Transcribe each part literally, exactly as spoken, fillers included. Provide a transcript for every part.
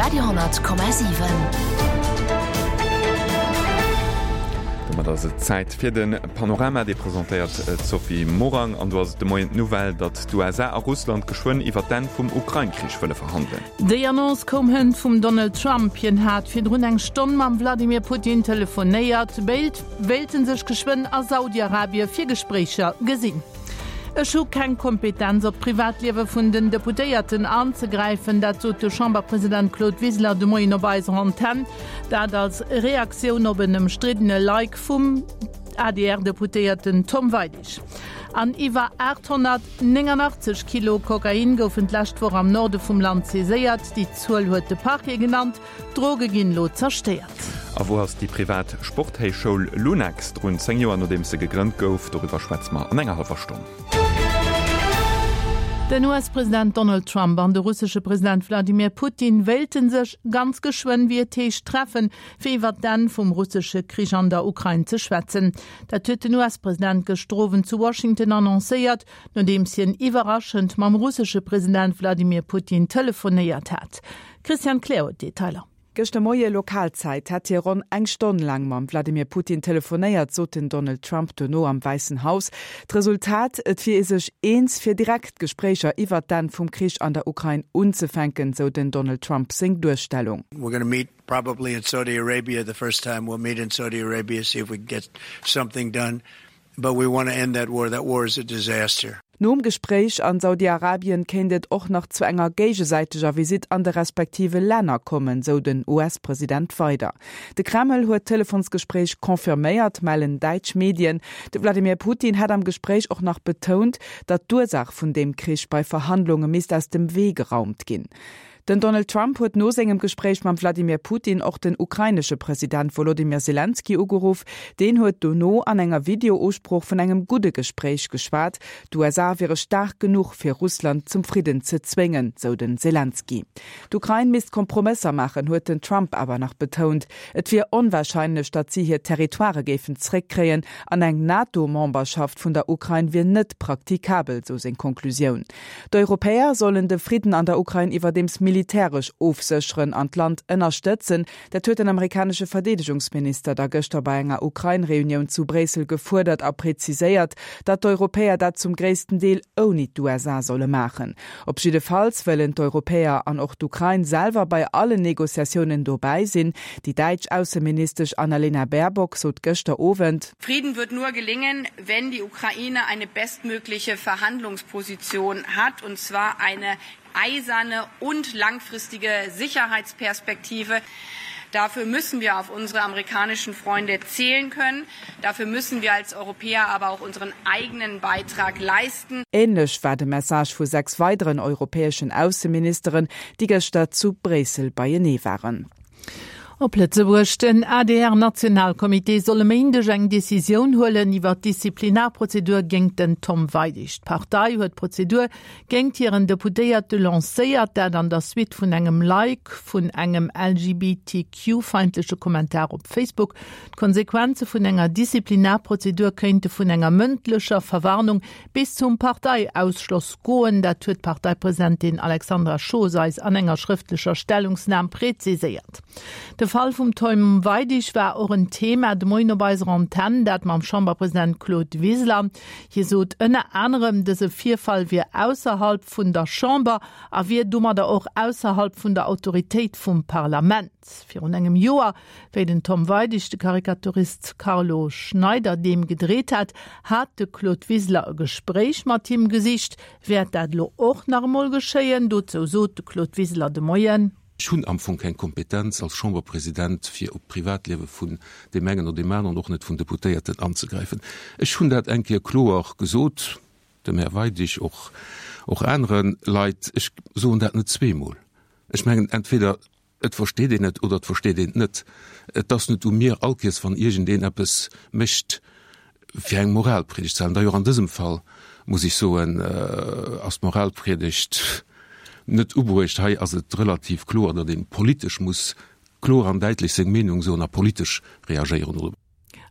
Radio honnert Komma siwen. Domat ass et Zäit fir de Panorama, dee presentéiert d'Sophie Morang. An do ass et de Moien d'Nouvelle, datt d'USA a Russland geschwënn iwwer d'Enn vum Ukrain-Krich wëlle verhandelen. Déi Annonce koum hënt vum Donald Trump. Hien hat virdrun eng Stonn mam Wladimir Putin telefonéiert. Béid wéilte sech geschwënn a Saudi-Arabie fir Gespréicher gesinn. Ech hu keng Kompetenz op d'Privatliewe vun den Deputéierten anzegräifen, dat sot de Chamberpresident Claude Wiseler de Moien op eiser Antenn. Dat als Reaktioun op en ëmstriddene Like vum A D R-Deputéierten Tom Weidig. An iwwer aathonnertnéngangachtzeg Kilo Kokain goufen d'lescht Woch am Norde vum Land saiséiert. Déi Zuel huet de Parquet genannt. D'Droge ginn elo zerstéiert. A wou ass déi privat Sporthéichschoul Lunex drun, zéng Joer nodeems se gegrënnt gouf? Doriwwer schwätze mer an enger hallwer Stonn. Den U S-President Donald Trump an de russesche President Wladimir Putin wéilte sech ganz geschwënn, wéi et heescht, treffen, fir iwwer d'Enn vum russesche Krich an der Ukrain ze schwätzen. Dat huet den U S-President gëschter Owend zu Washington annoncéiert, nodeems hien iwwerraschend mam russesche President Wladimir Putin telefonéiert hat. D'Christiane Kleer huet d'Detailer. Gëschter Moie Lokalzäit hätt hie ronn eng Stonn laang mam Wladimir Putin telefonéiert, sot den Donald Trump dono am Wäissen Haus. D'Resultat, Et wier ee sech eens, fir direkt Gespréicher iwwert d'Enn vum Krich an der Ukrain unzefänken, sou den Donald Trump seng Duerstellung. We're gonna meet probably in Saudi Arabia the first time we'll meet in Saudi Arabia, see if we can get something done. But we want to end that war. That war is a disaster. Nom Gespréich an Saudi-Arabien kéint et och nach zu enger géigesäiteger Visitt an de respektive Länner kommen, sou den U S-President weider. De Kreml huet d'Telefonsgespréich confirméiert, mellen däitsch Medien. De Wladimir Putin hätt am Gespréich och nach betount, datt d'Ursaach vun deem Krich bei Verhandlunge misst aus dem Wee geraumt ginn. Den Donald Trump huet no sengem Gespréich mam Wladimir Putin och den ukrainesche President Wolodymyr Selenskyj ugeruff. Deen huet dono an enger Videousprooch vun engem gudde Gespréich geschwat. D'U S A wiere staark genuch fir Russland zum Fridden ze zwéngen, sou den Selenskyj. D'Ukrain misst Kompromësser maachen, huet den Trump awer nach betount. Et wier onwarscheinlech, datt si hir Territoirë géifen zréckkréien an eng NATO-Memberschaft vun der Ukrain wier net praktikabel, sou seng Konklusioun. D'Europäer sollen de Fridden an der Ukrain iwwerdeems militäresch ofsécheren an d'Land ënnerstëtzen. Dat huet den amerikanesche Verdeedegungsminister da gëschter bei enger Ukrain-Reunioun zu Bréissel gefuerdert a präziséiert, datt d'Europäer dat zum gréissten Deel ouni d'U S A solle maachen. Op jiddefalls wëllen d'Europäer an och d'Ukrain selwer bei allen Negociatiounen dobäi sinn. Déi däitsch Ausseministesch Annalena Baerbock sot gëschter Owend: Frieden wird nur gelingen, wenn die Ukraine eine bestmögliche Verhandlungsposition hat, und zwar eine eiserne und langfristige Sicherheitsperspektive. Dafür müssen wir auf unsere amerikanischen Freunde zählen können. Dafür müssen wir als Europäer aber auch unseren eigenen Beitrag leisten. Ähnlech war de Message vu sechs weideren europäeschen Ausseministeren, déi gëschter zu Bréissel beienee waren. Op Lëtzebuerg, Den A D R-Nationalcomité soll e Méindeg eng Decisioun huelen iwwer d'Disziplinarprozedur géint den Tom Weidig. D'Partei huet d'Prozedur géint hiren Deputéierte lancéiert, dat an der Suite vun engem Like vun engem L G B T Q-feindleche Kommentar op Facebook. D'Konsequenze vun enger Disziplinarprozedur kéinte vun enger mëndlecher Verwarnung bis zum Parteiausschloss goen, dat huet d'Parteipresidentin Alexandra Schoos eis an enger schrëftlecher Stellungnam präziséiert. De Fall vum Tom Weidig war och en Thema de Moien op eiser Antenn, dat mam Chamberpresident Claude Wiseler. Hie sot ënner anerem, dëse Virfall wier ausserhalb vun der Chamber a wier domadder och ausserhalb vun der Autoritéit vum Parlament. Virun engem Joer, wéi den Tom Weidig de Karikaturist Carlo Schneider deem gedreet hat, hat de Claude Wiseler e Gespréich mat him gesicht. Wäert dat elo och nach emol geschéien? Dozou sot de Claude Wiseler de Moien: Ech hunn am Fong keng Kompetenz als Chamberpresident fir op d'Privatliewe vun deem engen oder deem aneren, och net vun Deputéierten anzegräifen. Ech hunn dat eng Kéier kloer gesot, dem Här Weidig, och och anere Leit. Ech soen dat net zweemol. Ech mengen, entweder et versteet een et oder et versteet een et net. Et ass net u mir, all Kéiers wann iergendeen eppes mécht, fir eng Moralpriedegt ze halen. D'ailleurs an dësem Fall, muss ech soen, ass d'Moralpriedegt net ubruecht. Hei ass et relativ kloer, datt ee politesch muss kloer an däitlech seng Meenung soen a politesch reagéieren.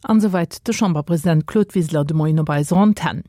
An esouwäit de Chamberpresident Claude Wiseler de Moien op eiser Antenn.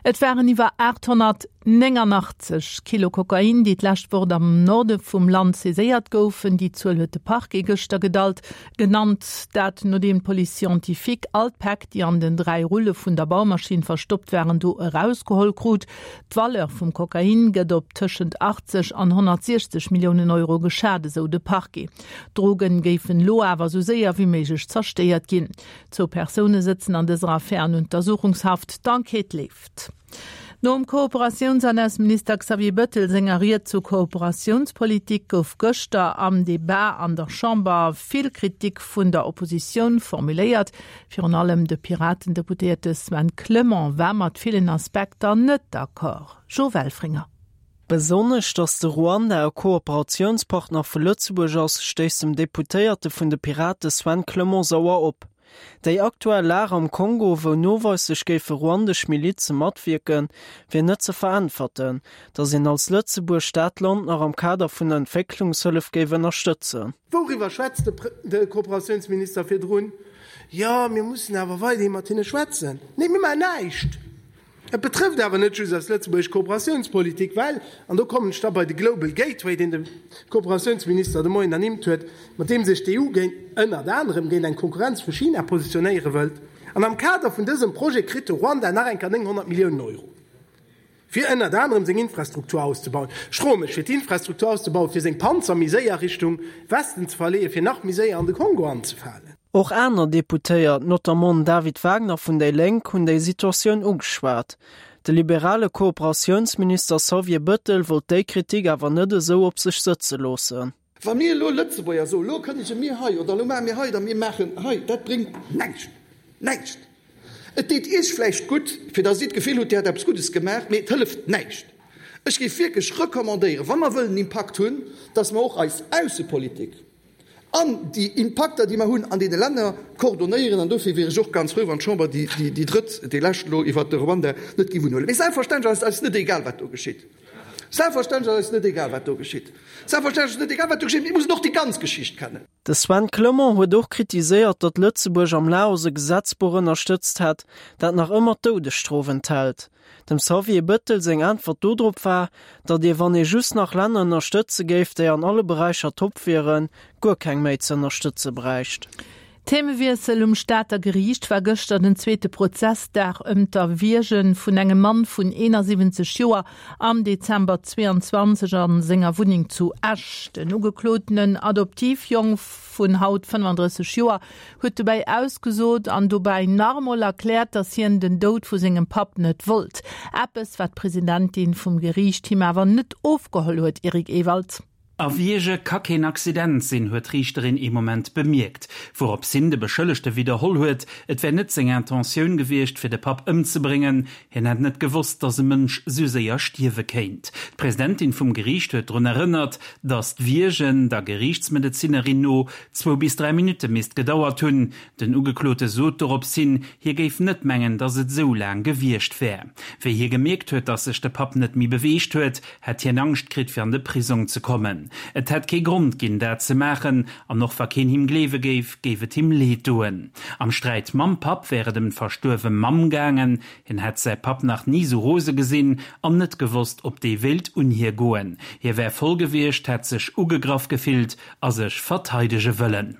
Et waren iwwer aathonnertnéngangachtzeg nénganachtzeg Kilo Kokain, déi d'lescht Woch am Norde vum Land saiséiert goufen. Déi Zuel huet de Parquet gëschter gedalt genannt. Dat nodeem d'Police scientifique all d'Päck, déi an den dräi Rulle vun der Baumaschinn verstoppt waren, do erausgeholl krut. D'Valeur vum Kokain gëtt op tëschent achtzeg an honnertsiechzeg Milliounen Euro geschat, esou de Parquet. D'Drogen géifen elo awer esou séier wéi méiglech zerstéiert ginn. Zwou Persoune sëtzen an dëser Affär an Untersuchungshaft. D'Enquête leeft. Nom Kooperatiouns an Ausseminister Xavier Bettel senger Ried zur Kooperatiounspolitik gouf gëschter am Debat an der Chamber vill Kritik vun der Oppositioun formuléiert. Virun allem de Piraten-Deputéierte Sven Clement war mat villen Aspekter net d'accord. Jo Welfringer. Besonnesch, datt de Ruanda e Kooperatiounspartner vu Lëtzebuerg ass, stéisst dem Deputéierte vun de Pirate Sven Clement sauer op. Déi aktuell Lag am Kongo, wou noweislech géife ruandesch Milize matwierken, wier net ze veräntwerten, datt een als Lëtzebuerg dat Land nach am Kader vun der Entwécklungshëllef géif ënnerstëtzen. Wouriwwer schwätzt de Kooperatiounsminister virdrun? Jo, mir mussen awer weiderhi mat hinne schwätzen. Nee, mir maachen näischt! Et betrëfft awer net just eis lëtzebuergesch Kooperatiounspolitik, well, an do kommen ech da bei de Global Gateway, deen de Kooperatiounsminister de Moien ernimmt huet, mat deem sech d'EU géint, ënnert anerem géint eng Konkurrenz vu China positionéiere wëllt. An am Kader vun dësem Projet kritt de Ruanda nach eng Kéier nénghonnert Milliounen Euro, fir ënnert anerem seng Infrastruktur auszebauen. Stromeg, fir d'Infrastruktur auszebauen, fir seng Panzer méi séier Richtung Westen ze verleeën, fir nach méi séier an de Kongo anzefalen. Och aner Deputéiert, notamment den David Wagner vun déi Lénk, hunn déi Situatioun ugeschwat. De liberale Kooperatiounsminister Xavier Bëttel wollt déi Kritik awer net esou op sech sëtze loossen. Wa mir elo Lëtzebuerger soen, elo kënnege mir hei oder elo maache mir hei oder mir maachen hei, dat bréngt näischt. Näischt! Et deet Iech vläicht gutt, fir datt Dir d'Gefill hutt, Dir hätt eppes Guddes gemaach, mee et hëlleft näischt. Ech géif wierklech recommandéieren, wa mer wëllen Impakt hunn, datt mer och eis Aussepolitik, An déi Impakter, déi mer hunn an deene Länner, koordonéieren. An dofir wier ech och ganz frou, wann d'Chamber déi drëtt, déi lescht elo iwwert de Ruanda net géif unhuelen. Mee selbstverständlech ass et eis net egal, wat do geschitt. Selbstverständlech ass eis net egal, wat do geschitt. Selbstverständlech ass et net egal, wat do geschitt. Mir mussen och déi ganz Geschicht kennen. De Sven Clement huet och kritiséiert, datt Lëtzebuerg am Laos e Gesetzbuch ënnerstëtzt hätt, dat nach ëmmer d'Doudesstrof enthält. Dem Xavier Bëttel seng Äntwert dodrop war, datt ee wann ee just nach Länner ënnerstëtze géif, déi an alle Beräicher top wieren, guer keng méi ze ënnerstëtze bräicht. Themewiessel, Um Stater Geriicht war gëschter den zweete Prozessdag ëm d'Erwierge vun engem Mann vun eenasiwwenzeg Joer am Dezember zwee an zwanzeg a senger Wunneng zu Esch. Den ugeklotenen Adoptivjong vun haut fënnefandrësseg Joer huet dobäi ausgesot an dobäi nach emol erkläert, datt hien den Doud vu sengem Papp net wollt. Eppes, wat d'Presidentin vum Geriicht him awer net ofgeholl huet. Eric Ewald. Erwierge ka keen Accident sinn, huet d'Riichterin ee Moment bemierkt, wourops hin de Beschëllegte widderholl huet, et wär net seng Intentioun gewiescht, fir de Papp ëmzebréngen, hien hätt net gewosst, datt e Mënsch sou séier stierwe kéint. D'Presidentin vum Geriicht huet drun erënnert, datt d'Wiergen der Geriichtsmedezinerin no zwou bis dräi Minutte misst gedauert hunn. Den Ugeklote sot dorops hin, hie géif net mengen, datt et esou laang gewiescht wär. Wéi hie gemierkt huet, datt sech de Papp net méi beweegt huet, hätt hien Angscht kritt, fir an de Prisong ze kommen. Et hätt kee Grond ginn, dat ze maachen, an och wa keen him gleewe géif, géif et him leed doen. Am Sträit mam Papp wär et ëm d'verstuerwe Mamm gaangen. Hien hätt säi Papp nach ni sou rose gesinn an net gewosst, ob dee wéilt un hie goen. Hie wär voll gewiescht, hätt sech ugegraff gefillt a sech verteidege wëllen.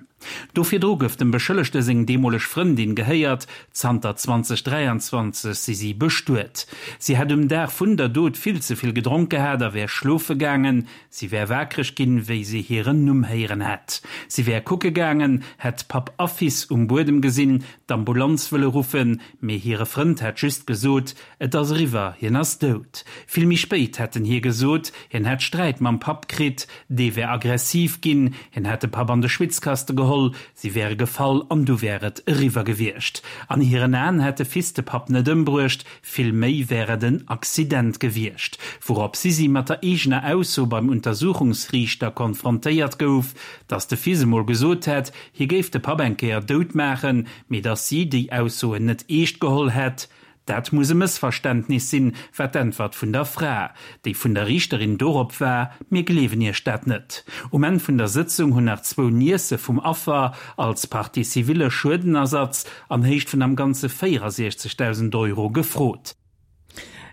Do virdru gouf dem Beschëllegte seng deemoleg Frëndin gehéiert, zanter zweitausenddräianzwanzeg si si bestuet. Si hätt um Dag vun der Dot vill ze vill gedronk gehat a wär schlofe gaangen. Si wär wakereg ginn, wéi si hiren Numm héieren hätt. Si wär kucke gaangen, hätt Papp a Fils um Buedem gesinn, d'Ambulanz wëlle ruffen, mee hire Frënd hätt just gesot, Et ass eriwwer, hien ass dout. Vill méi spéit hätt en hir gesot, hien hätt Sträit mam Papp kritt, dee wär aggressiv ginn, hien hätt de Papp an de Schwitzkaste geholl, si wäre gefall an du wär et eriwwer gewiescht. An hiren Aen hätt de Fils de Papp net ëmbruecht, vill méi wär et en Accident gewiescht. Wourop si si mat der eegener Ausso beim Untersuchungsriichter konfrontéiert gouf, dass de Fils emol gesot hätt, hie géif de Papp eng Kéier dout maachen, mee dass si déi Aussoen net eescht geholl hätt. Dat muss e Mëssverständnis sinn, war d'Äntwert vun der Fra, déi vun der Riichterin dorop war, Mir gleewen Iech dat net. Um Enn vun der Sëtzung hunn nach zwou Niècë vum Affer als Partie civile Schuedenersatz an Héicht vun am Ganze véierasiechzegdausend Euro gefrot.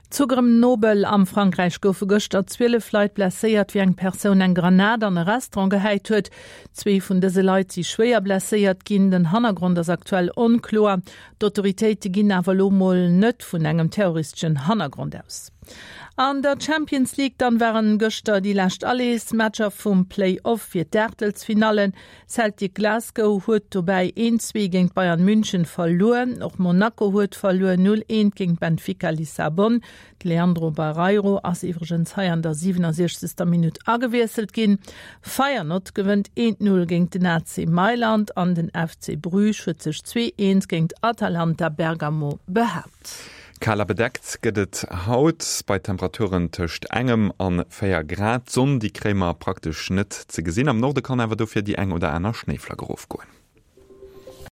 Zu Grenoble am Frankräich goufe gëschter zwielef Leit blesséiert, wéi eng Persoun eng Granat an e Restaurant gehäit huet. Zwee vun dëse Leit si schwéier blesséiert ginn. Den Hannergrond ass aktuell onkloer. D'Autoritéite ginn awer elo mol net vun engem terroristeschen Hannergrond aus. An der Champions League dann waren gëschter déi lescht Allersmatcher vum Play-off fir d'Aachtelsfinallen. Celtic Glasgow huet dobäi een zwee géint Bayern München verluer. Och Monaco huet verluer, null eent géint Benfica Lissabon. De Leandro Barreiro ass iwwregens hei an der siwenundsechzegster Minutt agewiesselt ginn. Feyenoord gewënnt eent null géint den A C Mailand an den F C Bruges huet sech zwee eent géint Atalanta Bergamo behaapt. Kal a bedeckt gëtt et haut bei Temperaturen tëscht engem an véier Grad. D'Sonn, déi kréie mer praktesch net ze gesinn. Am Norde kann awer dofir déi eng oder aner Schnéiflack erofgoen.